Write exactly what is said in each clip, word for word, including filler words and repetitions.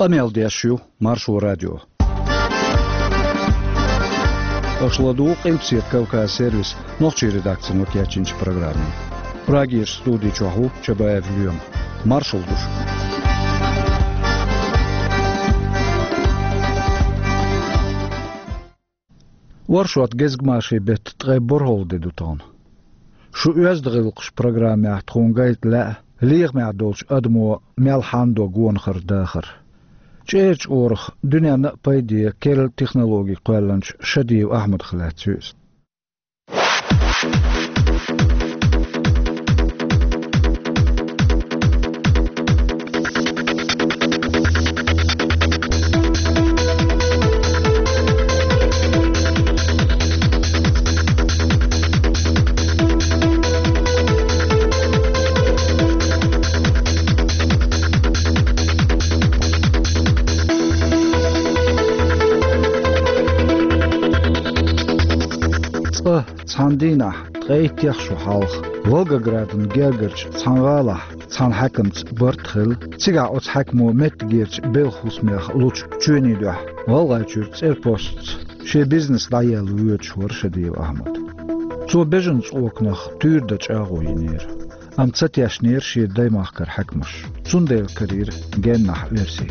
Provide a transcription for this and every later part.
Къамел деш ю Маршо радио. Аша ладугӀу Къилбаседа Кавказ сервисан нохчийн редакцино кечйинчу программе. Прагерчу студи чохь ву Чабаев Лоьма. Маршалла ду шуьга. Оршот гезгмашин беттан ткъе борхӀалгӀа де ду тахана. Шун «Оьзда гӀиллакхаш» программехь тхуна гайта лаьа лехамехь долчу адамо мел хьанадо гонахара дахар. ЧӀеран чкъурах дуьненна а пайде керла технологи кхоьллинчу Шадиев Ахьмадах лаьцна ю иза. Цкъа цхьана дийнахь, ткъе иттех шо хьалха, Волгоградан гергарчу цхьана гӀалахь цхьана хьаькамца барт хилла, цигахь оцу хьаькамо меттигерчу белхан хӀусамех лучу чоьнийн дуьхьа ГӀалгӀайчуьра цӀерпостца шен бизнес дӀаелла воьдуш вара Шадиев Ахьмад. Цо бежан цӀоканах туьйра дан чӀагӀо йинера, амма ца тешнера шен даймахкара хьаькамаш. Цундела карийра геннахь оьрси.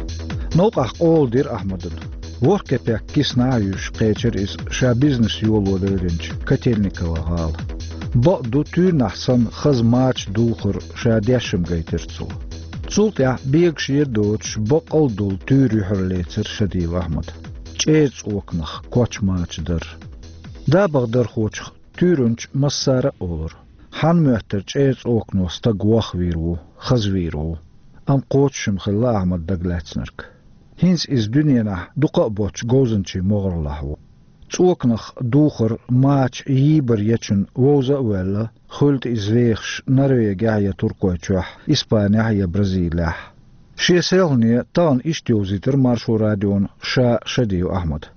Новкъахь къола дира Ахьмадана. ВорхӀ кепек киснахь а юьсуш кхечира иза ша бизнес йоло леринчу Котельниково гӀала. Бакъ ду, туьйранахь санна хаза мача дулхар ша дешна гайтира цо. Цул тӀаьхьа бегаш а доцуш, баккъал а долу туьйра юьхьарлецира Шадиев Ахьмада. ЧӀеран цӀоканах коч мача дар. ДабагӀдархочух туьйранча массара а олура: хьан моьттура чӀеран цӀокано стаг вохвийр ву, хазвийр ву? Амма кхочушма хилла Ахьмадан дагалаьцнарг. ХӀинца иза дуьненахь дукха а боцчу говзанчийн могӀарлахь ву. ЦӀоканах духар, мача йийбар ечунна вовза а ваьлла, хуьлда иза вехаш Норвегехь я Туркойчохь, Испанехь я Бразилехь. Шен селхане тахана иштта йовзийтира Маршо радиона ша Шадиев Ахьмада.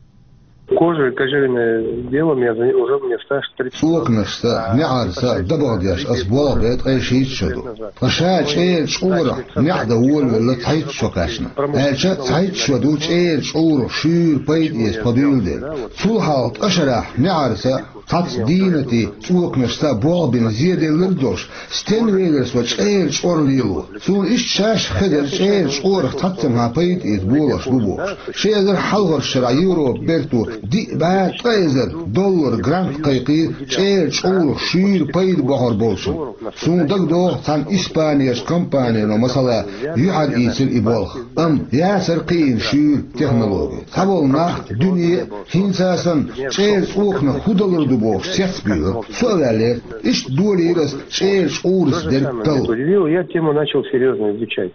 Кожа, кожаное дело, мне за-, уже мне стаж тридцать. ЦӀоканашца, неӀарца дабагӀа деш ас болх бе ткъе шийтта шо ду. Ткъа ша чӀеран чкъурах неӀ дан волавелла цхьайтта шо кхаьчна. Аьлча, цхьайтта шо ду чӀеран чкъурах шуьйра пайда эца тхо дуьйладелла. Цул хьалха ткъа шарахь неӀарца, цхьацца дийнатийн цӀоканашца болх бина зеделларг долуш, стенна велира со чӀеран чкъор лело? Суна иштта шаьш хезара чӀеран чкъурах цхьаццанхьа пайда эца болуш бу бохуш. Ши эзар хьалхарчу шарахь Европан бертан диъ бӀе ткъа эзар доллар грант кхайкхийра чӀеран чкъурах шуьйра пайда бохур болчунна. Суна дагадогӀу, цхьана Испанерчу компанино, масала, юьхьар ийцира и болх. Амма яцара кхиийна шуьйра технологи. Цхьаболу нах, дуьне а, хӀинца а санна, чӀеран цӀоканах хӀун далур ду бохуш, цецбуьйлура. Со а ваьллера, иштта долийра ас чӀеран чкъурца дерг талла. Удивил, я тему начал серьёзно изучать.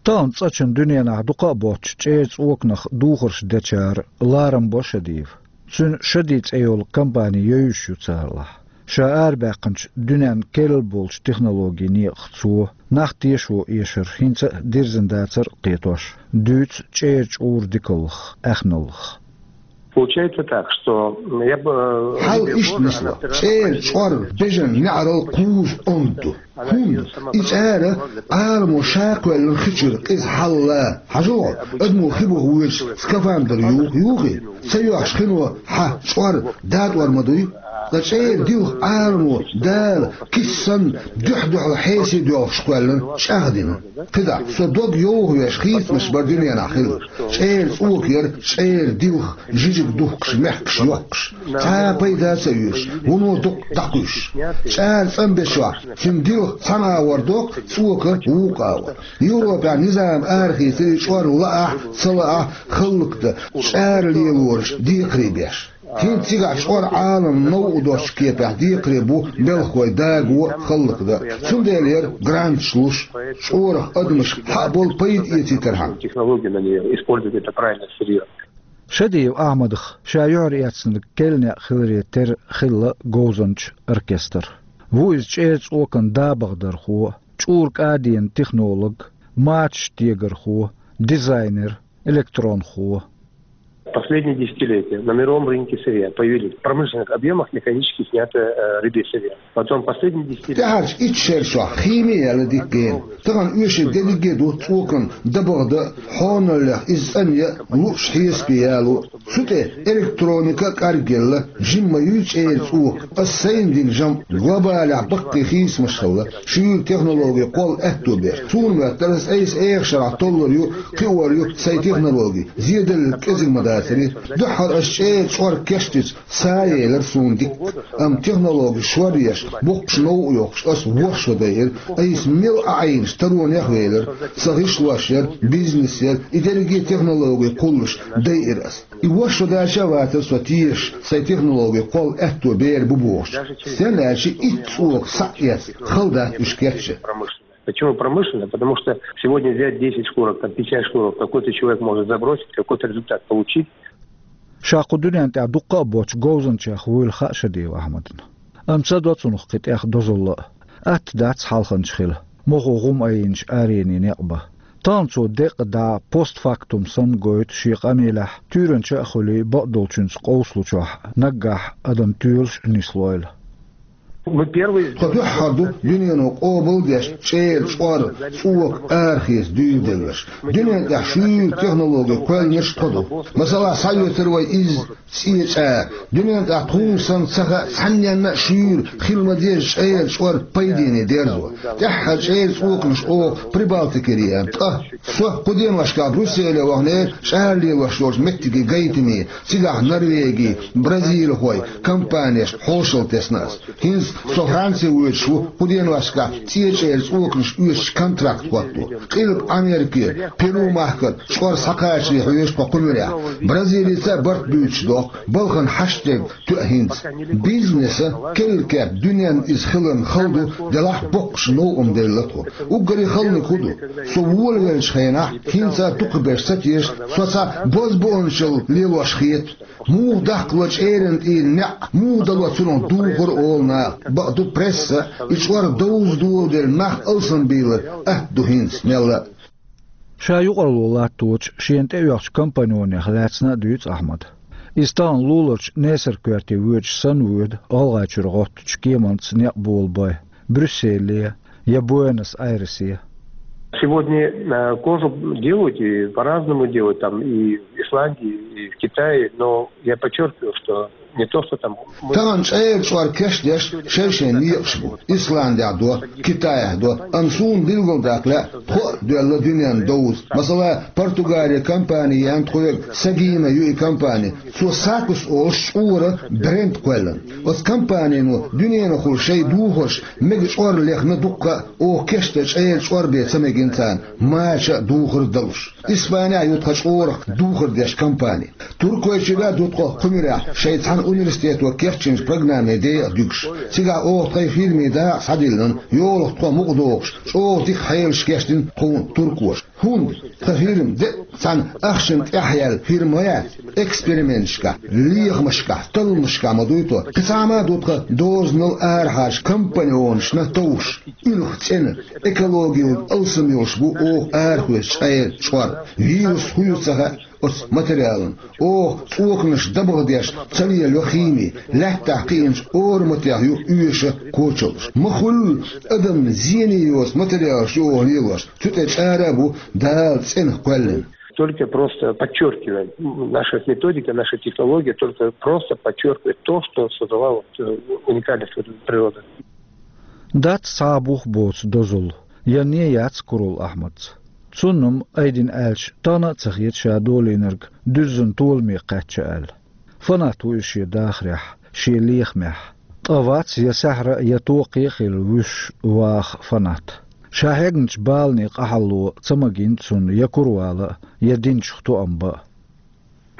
Тахана цкъачунна дуьненахь дукха а боцчу чӀеран цӀоканах духарш дечара ларам бо Шадиев. Цуьнан Шади цӀе йолу компани йовзуш ю царлахь. Ша арабаьккхинчу дуьненна керла болчу технологийн некъах цо, нах тешо эшар хӀинца а дирзина дацар а кхетош, дуьйцу чӀеран чкъуран дикаллах, аьхналлах. Получается так, что, м, я бы, э, Хьал иштта нисло. ЧӀеран чкъор бежан неӀарал кхузза онда ду. ХӀунда и чӀара Ӏаламо ша кхоьллина хи чуьра къиза хьалла? Хьажал хьо, адамо хи баха воьдуш скафандр юху, юхий? Ца йоьхуш хино хьан чкъор датӀор ма дуй? Ткъа чӀеран дилха Ӏаламо Дала киса санна дуьхь-дуьхьал хьесий доьлхуш кхоьллина, чӀагӀдина. КхидӀа, со дог йовхавеш хийцамаш бара дуьненахь хилла. ЧӀеран цӀока яра чӀеран дилха жижиг духкуш, мехкаш йоккхуш. Цхьа а пайда ца оьцуш, вуно дукъ дӀакхуьйсуш. ЧӀара цӀанбечохь, цуьнан дилха цхьана агӀор доккху, цӀока вукху агӀор. Европехь низам арахийцира и чкъор лаахь а, ца лаахь а, хӀаллакдан чӀара лелораш декхарий беш. ХӀинца цигахь чкъор Ӏаламна новкъа доцчу кепехь декхаре бу белхалой даго а, хӀаллакдан а. Цундела яра гранташ луш, чкъорах адамаш хьа а болу пайда эцийтархьама. Технологию на неё использовать, это правильно, серьёзно. Шадиев Ахьмадах ша юьхьар эцнарг кхеллехь хиларе терра хилла говзанчийн оркестр. Ву иза чӀеран цӀокан дабагӀдархо, чкъуран кӀаденан технолог, мачаш тегархо, дизайнер, электронхо. Последние десятилетия на мировом рынке сырья появились в промышленных объемах механически снятое э, рыбье сырье. Потом последние десятилетия... ТӀаьхьарчу итт шерашкахь химия яьлла дика гена. Тахана оьшург дерриге а ду цӀокан дабагӀа дан, хьоналлех иза цӀанъян, луъуш хьесапе яло. Цу тӀе электроника а кӀаргъелла, жимма юй чӀеран цӀока. Ас сайна дина жамӀ глобалехь баккхий хийцамаш хилла, шуьйра технологи кхолла аьтто беш. Суна моьттура, ас айса эха шарахь толлур ю, кхиор ю сайн технологи. Зеделларг кӀезиг ма дацара. Дуьххьара ас чӀеран чӀор кечдича, са елира суна дикка. Амма технологи шоръеш, буккхаш новкъа йохкуш, ас ворхӀ шо дайира. Айса мел а Ӏийначу таронех велира. Сан гӀишлош яра, бизнес яра, и дерриге а технологи кхуллуш дайира ас. И ворхӀ шо даьлча а вацара со тешаш, сайн технологи кхолла аьтто бер бу бохуш. Стенна аьлча итт цӀока схьа а эцна, хала дац уьш кечъян. Почему промышленная? Потому что сегодня взять десять шкурок, там, пятьдесят шкурок, какой-то человек может забросить, какой-то результат получить. Ша кху дуьнен тӀехь дуккха а боцчу говзанчех вуйла хаьа Шадиев Ахьмадна. Амма ца до цунах кхин тӀех дозалла а. Атта дац хьалханча хила, мохо гӀум айинчу аренийн некъ бан. Тахана цо декъа дӀа постфактум санна гойту шен къамелехь, туьйранча а хуьлий, бакъдолчуьнца къовсалучохь наггахь адам тоьлуш а нислойла. Мы первые... Тхо дуьххьара ду дуьнено къобал а деш чӀеран чӀор, цӀока арахеца дуьйладелларш. Дуьнен тӀехь шуьйра технологи кхоьллинарш тхо ду. Масала, схьаоьцура вай изза цӀе чӀагӀ. Дуьнен тӀехь тхуна санна ца хаьа цхьанненна а шуьйра хила ма-дезза чӀеран чӀор пайдене дерзо. ТӀаьххьара чӀеран цӀоканаш оха Прибалтикера еана, ткъа со кху деношкахь Брюсселе ваханера чӀара лелош йолчу меттиге гайтаме, цигахь Норвеги, бразилхой компанешна хьошалла тесна ас. ХӀинца со Франце воьдуш ву, кху деношкахь цӀе чӀеран цӀоканаш оьцучу контракт хӀотто. Къилба Америкера, Перу-махкара чӀор схьакхачаре хьоьжу тхо кху муьрехь. Бразилица а барт буьйцуш дохку, балхана хьашт дерг тоьа хӀинца. Бизнеса керла кеп дуьненна иза хиларна хала ду, делахь боккхуш новкъа ма делла тхо. Уггаре халаниг хӀун ду? Со волавеллачу хенахь, хӀинца а дукхахберш ца теша, со цхьа бозбуунчалла лелош хета. Муха даккхало чӀеран тӀера неӀ, муха дало цунах духар, олу наха. Бакъду, пресса, и чӀор довза доладелла нах алсамбийлар атта ду хӀинца мелла а. Ша юкъаралло латточу, шена тӀеоьхучу компаньонех лаьцна а дуьйцу Ахьмада. Иза тахана луларчу Несар-коьрте воьдуш санна воьду ГӀалгӀайчуьра гӀоттучу кеманца некъ болабой, Брюсселе я Буэнос-Айресе. Сегодня э, кожу делают и по-разному делают, там и в Исландии, и в Китае, но я подчеркиваю, что не то, что там... Тахана чӀеран чӀор кечдеш шай-шайн некъаш бу. Исландехь до, Китайхь до, амма суна билгалдаккха лаьа, тхо а доьлла дуьненна довза. Масала, Португале компани еана тхоьга, Сагина ю и компани. Цо Сакус олуш чкъора бренд кхоьллина. Оцу компанино дуьненахула шайн духарш мега чӀор лехна дуккха а, оха кечдан чӀеран чӀор бен ца мегина царна, мача а духар а далуш. Испанехь ю тхан чкъорах духар деш компани. Туркойчуьра а ду тхо кху муьрехь шайн цхьана университето кечйинчу программе декъа дуьгуш. Цигахь оха тхайн фирмин дакъа схьадиллина, йолах тхо мукъадохуш, чӀогӀа дика хьелаш кечдина тхуна туркоша. ХӀунда тхан фирма де а цхьана ахчанна тӀехь яьлла фирма ма яц, эксперименташкахь, лехамашкахь, талламашкахь ма дуй тхо. Кхин цхьа хӀума а ду тхан дозанал арахьарчу компаньонашна товш, уьлху цӀена, экологиялла алсам йолуш бу оха арахоьцу чӀеран чӀор. Вирус хӀун ю ца хаьа оцу материалан. Оха цӀоканаш дабагӀа деш ца лелайо хими, лаьттахь кхиъначу ораматех ю оьшуш кочаллаш. Ма хуьллу адамна зене йоцу материалаш ю оха лелош, цу тӀе чӀара а бу Дала цӀена кхоьллина. Только просто подчеркиваем, наша методика, наша технология только просто подчеркивает то, что создала вот э, уникальность вот этой природы. Дац цхьа а бух боцу дозалла, я не яц Курал Ахьмадца. Цунна-м, айдина аьлча, тахана а ца хета ша долийнарг дуьззина толаме кхаьчча аьлла. Фанат ву иза шен дахарехь, шен лехамехь. Ткъа вац я саьхьара а, я токхе а хилла вуьсуш ваха фанат. Ша хьегначу баланийн къахьалло ца магийна цунна я кура вала а, я динчух тоам бан а.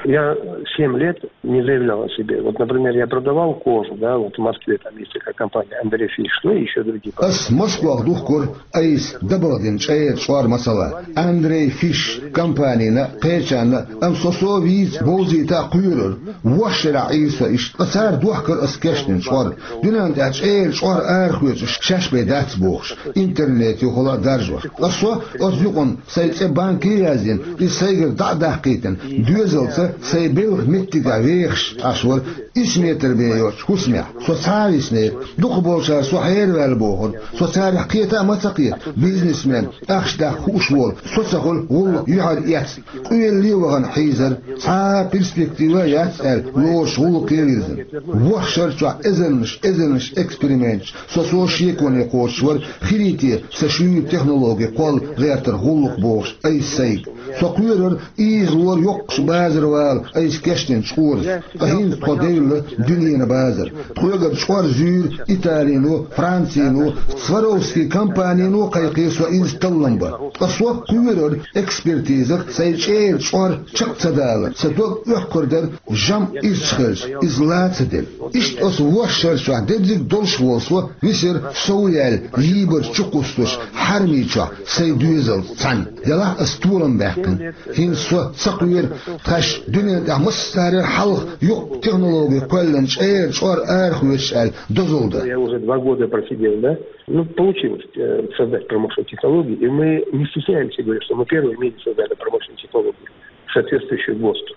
Я семь лет не заявлял о себе. Вот, например, я продавал кожу, да, вот в Москве там есть такая компания Андрей Фиш, ну и еще другие. Ас Москвахь духкура айса дабагӀа дина чӀеран чӀор, масала, Андрей Фиш компанина, кхечарна, амма со со вийца бовзийта а кхоьрура. ВорхӀ шарахь Ӏийра со иштта, ткъа цара дохкара ас кечдина чӀор. Дуьненна тӀехь чӀеран чӀор арахоьцуш шаьш бен дац бохуш, интернет юхала а даржош. Ткъа со оцу юкъана сайн цӀе банке а яздина, иза сайгара дӀа а даккхийтина, доьзалца Сайн белхан меттигехь вехаш Ӏаш вара исс метр бен йоцчу хӀусамехь. Со цхьа а виснера. Дукхахболчара со хьераваьлла бохура. Со царах кхета а ма ца кхета. Бизнесмен, ахча даккха хууш волу, со ца хуьлу гӀуллакх юьхьар эцна. Къоьлле а вахана хьийзара, цхьа а перспектива а яц аьлла, лоруш гӀуллакхе а вирзина. ВорхӀ шар чохь эзарнаш, эзарнаш эксперименташ, со-со шеконе кхочуш вара, хилийта сан шуьйра технологи кхолла гӀертарх гӀуллакх бохуш айса сайга. Со кхоьрура ийзалора йоккхачу базара вала айса кечдинчу чкъурца. Ткъа хӀинца тхо девлла дуьненан базар. Тхоьгара чкъор зуьйра Италино, Францино, Сваровски компанино кхайкхира со иза таллам бан. Ткъа со кхоьрура экспертизах сайн чӀеран чкъор чекх ца далар. Сан дог оьхкур дара, жамӀ ирча хилча, иза ла ца делла. Иштта оцу ворхӀ шар чохь дерриг долуш волу со висира сов яьлла, йийбар чу кхуссуш, хьарамий чохь сайн доьзалца цхьаьна. Делахь ас толам баьккхина. ХӀинца со ца кхоьру тхаьш дуьнен тӀехь массарел хьалха юкъ технологи кхоьллина чӀеран чкъор арахоьцуш аьлла дозалла дан. Я уже два года просидел, да? Ну, получилось э, создать промышленную технологию, и мы не стесняемся говорить, что мы первые в мире создали промышленную технологию, соответствующую ГОСТу.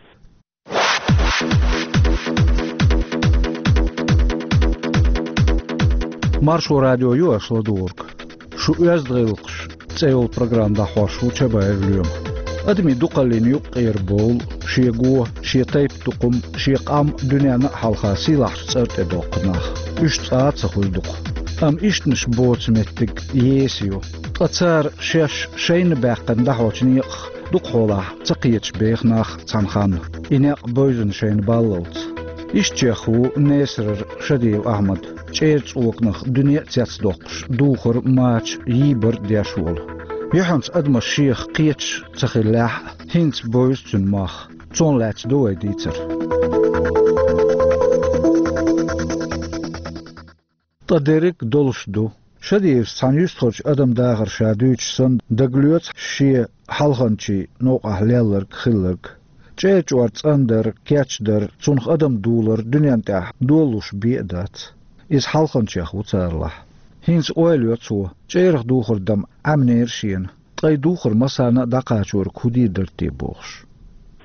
Маршо радио ю аша ладугӀург. Шу «Оьзда гӀиллакхаш» цӀе йолу программа дӀахьош ву Чабаев Лоьма. Адамийн дукхаллин юккъера бовла, шен го, шен тайпа тукхум, шен къам дуьненна а хьалха сийлахьчу цӀар тӀе доккху нах. Уьш цкъа а ца хуьлу дукха. Амма ишттанаш боцу меттиг еса ю. Ткъа цара шаьш шайна баьккхина дӀахьочу некъах дукхахьолахь ца кхеташ беха нах цхьана ханна, и некъ бевзина шайна баллалц. Ишттачех ву Несарара Шадиев Ахьмад, чӀеран цӀоканах дуьне а цецдоккхуш, духар, мача, йийбар деш волу. Юьхьанца адамаш шех кхеташ ца хиллехь а, хӀинца бевза цуьнан мах. Цунах лаьцна ду вай дийцар. Ткъа дерриг а долуш ду. Шадиевс цхьана юьстахарчу адаман дахар ша дуьйцуш санна, дагалоьцу шен хьалханчийн новкъахь лелларг, хилларг. ЧӀеран чкъор цӀандар, кечдар, цунах адам дулар дуьнен тӀехь долалуш бен а дац. Иза хьалханчех ву царалахь. ХӀинца ойла йо цо, чӀерах духар дан Ӏемнера шена. Ткъа и духар массарна а дӀакхачориг хӀун дийр дара те бохуш.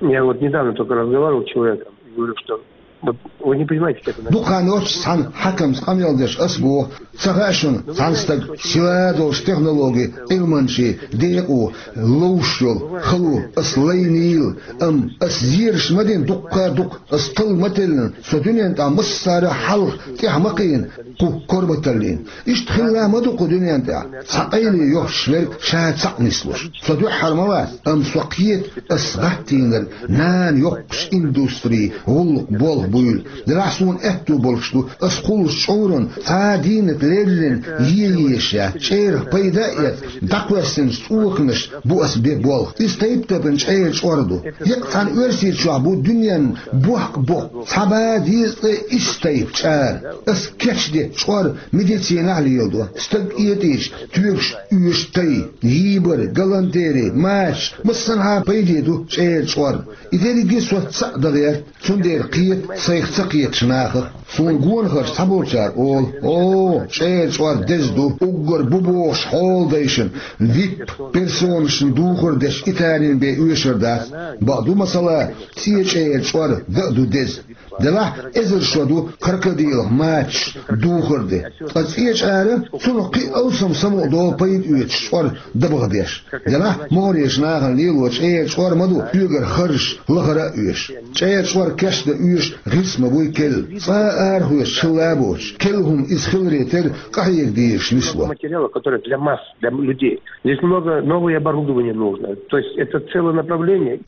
Я вот недавно только разговаривал с человеком и говорю, что вот вы не понимаете, как у нас... Дукха хан йоццуш цхьана хьаькамца къамел деш ас боху, ца хаьа шуна, цхьана стага силадолчу технологи, Ӏилманчийн декъо, ловш йолу хало ас лайнийла, амма ас зераш ма дина дуккха а дукха, ас талла ма теллина, со дуьнен тӀехь массарел хьалха тӀаьхьа ма кхиъна кху корматаллина. Иштта хилла ма ду кху дуьнен тӀехь цхьа къайле йохуш верг ша цхьаъ нислуш. Со дуьххьара ма вац, амма со кхета ас гӀаттийнарг нана йоккхуш индустрий, гӀуллакх болх буйла. Делахь суна аьтто болуш ду, ас кхуллуш чкъуран цхьа а дийнат леллина е езаш яц, чӀерах пайда а эцна, дӀакхоьссинчу цӀоканаш бу ас бен болх. Иза тайп-тайпана чӀеран чкъор ду. Еккъа цхьана Оьрсийчохь бу дуьненна бохк боккху цхьа бӀе дезткъе исс тайпа чӀара. Ас кечдечу чкъор медицинахь леладо. Стаг этӀийча, тоьгуш оьшу тай, йийбар, галантери, мачаш, массанхьа пайде ду чӀеран чкъор. И дерриге со цхьаъ дан гӀерта, цундела кхета сайх ца кхетачу нахах. Суна гонахарш цхьаболчара олу: «О, чӀеран чкъор деза ду, уггар бу бохуш хьоладайшна, вип-персонашна духар деш Италин бен оьшур дац». Бакъ ду, масала, цӀен чӀеран чкъор дан а ду деза. Делахь эзар шо ду крокодилах мачаш духар де. Ткъа цӀен чӀара цунах кхин а алсам самукъадолу пайда оьцуш чкъор дабагӀа деш. Делахь могӀарерчу нахана лело чӀеран чкъор ма ду, соьгара харжаш лахара а оьшу. ЧӀеран чкъор кечдан оьшу гӀирс ма буй, керла. Цкъа а арахоьцуш хилла а боцуш, керла хӀума иза хиларе терра къахьега дезаш нисло. Материала, который для масс, для людей. Здесь много новое оборудование нужно. То есть это целое направление.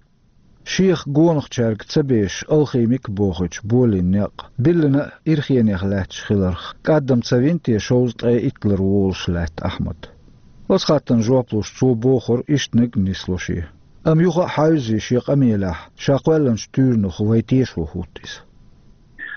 Шех гонахчаьрга ца безаш алхимик бохуьйтуш болийна некъ, биллина а ирхенех лаьтташ хиларх, кӀаддам ца вина те шовзткъе иттлар волуш лаьтта Ахьмад. Оцу хаттарна жоп луш цо бохура, иштаниг а нисло шен. Амма юха а хьаьвзий шен къамелехь, ша кхоьллинчу туьйранах вай тешо хӀутту иза.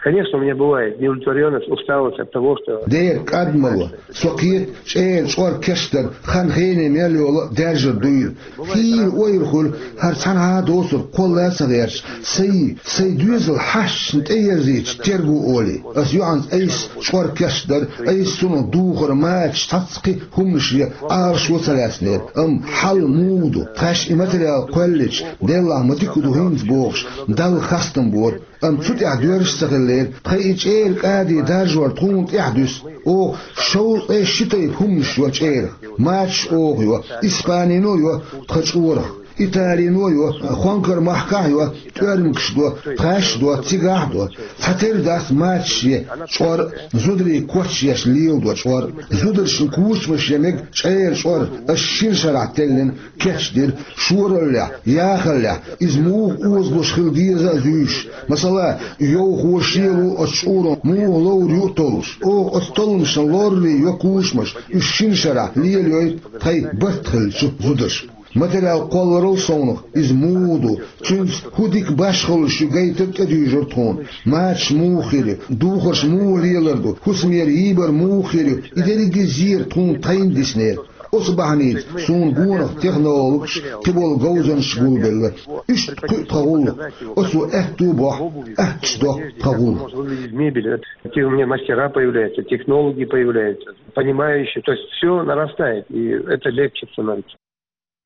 Конечно, у меня бывает неудовлетворенность, усталость от того, что... Дера кӀадмало, со кхета чӀеран чкъор кечдар хан хене мел йола а даьржар дуйла. Хийла ойла хуьлу, хӀара цхьанхьа а доцург кхолла а ца гӀерташ, сайн, сайн доьзал хьашташна тӀеерзийча терго олий. Ас юьхьанца айса чкъор кечдар, айса цунах духар мачаш цхьацца кхин хӀуманаш я Ӏалашо ца лаьцнера. Амма хьал муха ду, тхаьш и материал кхоьллича, деллахь ма дика ду хӀинца бохуш, Далла хастам бора. Амма цу тӀехь доьрзаш ца хиллера, тхайн и чӀеран кӀади даржор тхуна тӀехь дуьсу. Оха шовзткъе ши тайпа хӀуманаш йо чӀерах. Мачаш оха йо, Испанино йо тхан чкъорах, Италино йо, Хонкар махкахь йо, тӀоьрмигаш до, тхаьш до, цигахь до. Цхьатерра дац мачаш е чкъор, зударий коч еш леладо чкъор. Зударшна кучамаш е мега чӀеран чкъор, ас шина шарахь теллина кечдира, шораллехь, яхаллехь, иза муха озалуш хила деза а зуьйш. Масала, йовхо шело оцу чкъуро муха ловр ю а толлуш. Оха оцу толламашна лорри йо кучамаш, уьш шина шарахь лелайойту тхайн барт хиллачу зударша. Материал кхолларал совнах иза муха ду, цуьнца хӀун дика башхаллаш ю гайтар тӀедуьйжура тхуна. Мачаш муха хир ю, духарш муха лелар ду, хӀусамера йийбар муха хир ю, и дерриге зер тхуна тхайна диснера. Оцу бахьаница суна гонах технологаш, кхиболу говзанчаш гулбелла. Иштта кхуьу тхан гӀуллакх. Оцо аьтту а бохьу, аттачу доккху тхан гӀуллакх. Мебель, это, какие у меня мастера появляются, технологии появляются, понимающие. То есть всё нарастает, и это легче становится.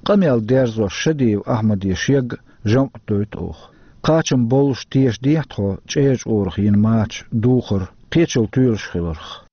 Къамел дерзош Шадиев Ахьмаде шега жамӀ дойту оха. Кхачам боллуш тешадехьа тхо чӀеран чкъорах йина мачаш духар кхечул тоьлуш хиларх.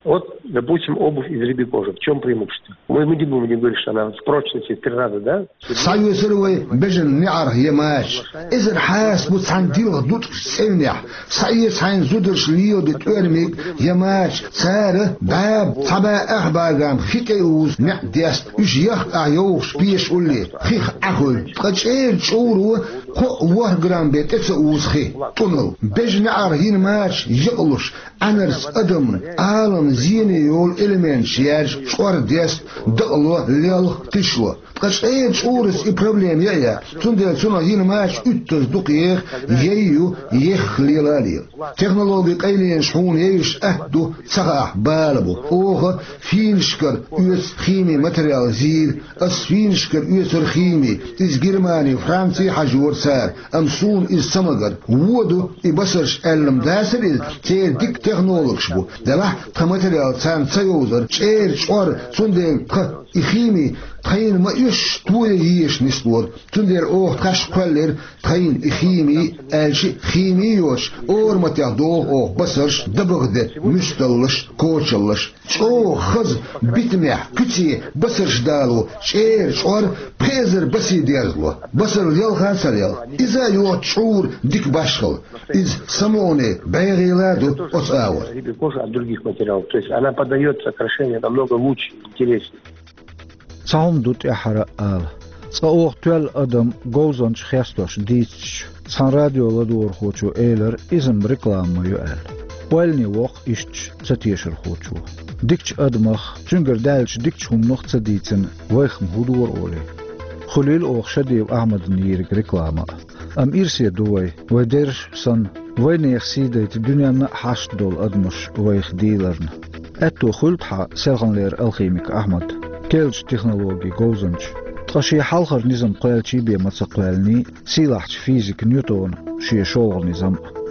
Вот, допустим, обувь из рыбьей кожи. В чём преимущество? Мы, мы не будем говорить, что она в прочности в три раза, да? Схьаоьцура вай бежан неӀарх я мачаш. Эзар хьаса бу цхьана дилха дутӀаш цӀевнехь. Схьаэца хьайна зударша лелабе тӀоьрмиг я мачаш. Цара бӀаба, цхьа бӀаьха бӀагам хи тӀе узу неӀ деста. Уьш яхка ахь йовхаш пеша улле, хих Ӏахуьлу. Ткъа чӀеран чкъуро кхоъ-ворхӀ грамм бен тӀе ца узу хи, тӀунал. Бежан неӀарх йина мачаш якъалуш, Ӏаьнарца адамна, Ӏалам зене йолу элементаш яьржа чкъор деста, дакъало, лелха, тишло. Ткъа чӀеран чкъурас и проблема яа яц, цундела цунах йина мачаш уьттаза дукха еха, яй ю, ехха лела а лела. Технологи къайленаш хьуна евзаш атта ду, ца хаахь бала бу. Оха финашкара оьцу хими материал зийра. Ас финашкара оьцура хими, иза Германи, Франци хьажора цара, амма суна иза ца магара. Вон ду и басарш аьлла-м дацара иза, церан дика технологаш бу. Делахь тхан материал царна ца йовзара, чӀеран чкъор, цундела тхан и хими тхайна ма оьшуш тоя езаш нислора. Цундела оха тхаьш кхоьллира тхайна и хими, аьлча а хими йоцуш, ораматех доху оха басарш, дабагӀа де, муьсталлаш, кочаллаш. ЧӀогӀа хаза битамехь, куьце басарш дало, чӀеран чкъор пхи эзар басе дерзало. Басар лелха а ца лелха. Иза а йоцу чкъура дика башхалла. Иза самукъане бӀегӀийла а ду оцу агӀор. Рыбья кожа от других материалов. То есть она подаёт сокращение намного лучше, интереснее. Цхьа хӀума ду тӀаьххьара а ала. Цкъа оха тоьлла адам говзанча хестош дийцича, цхьана радио ладугӀурхочо элира, иза-м реклама ма ю аьлла. Ойлане воккху иштта ца тешархочо. Дикачу адамах, цуьнгара даьллачу дикачу хӀуманах ца дийцина, вайх-м хӀун дора олий? Хуьлийла оха Шадиев Ахьмадна йийриг реклама а. Амма ирсе ду вай, вай дерриш санна, вайнехан сий дайта дуьненна а хьашт долу адамаш вайх дийларна. Аьтто хуьлда хьан, селханлера алхимик Ахьмад, керлачу технологийн говзанча, ткъа шен хьалхара низам кхоьлличий бен ма ца кхоьллиний, сийлахьчу физика Ньютона шен шолгӀа низам а.